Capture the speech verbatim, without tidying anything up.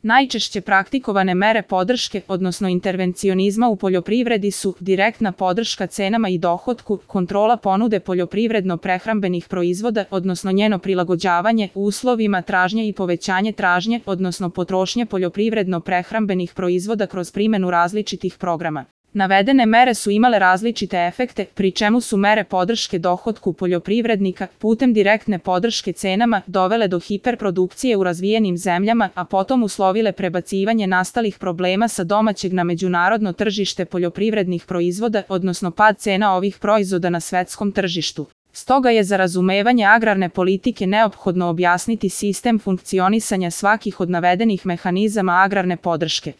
Najčešće praktikovane mere podrške, odnosno intervencionizma u poljoprivredi su direktna podrška cenama i dohotku, kontrola ponude poljoprivredno-prehrambenih proizvoda, odnosno njeno prilagođavanje uslovima tražnje i povećanje tražnje, odnosno potrošnje poljoprivredno-prehrambenih proizvoda kroz primjenu različitih programa. Navedene mere su imale različite efekte, pri čemu su mere podrške dohotku poljoprivrednika putem direktne podrške cenama dovele do hiperprodukcije u razvijenim zemljama, a potom uslovile prebacivanje nastalih problema sa domaćeg na međunarodno tržište poljoprivrednih proizvoda, odnosno pad cena ovih proizvoda na svetskom tržištu. Stoga je za razumevanje agrarne politike neophodno objasniti sistem funkcionisanja svakih od navedenih mehanizama agrarne podrške.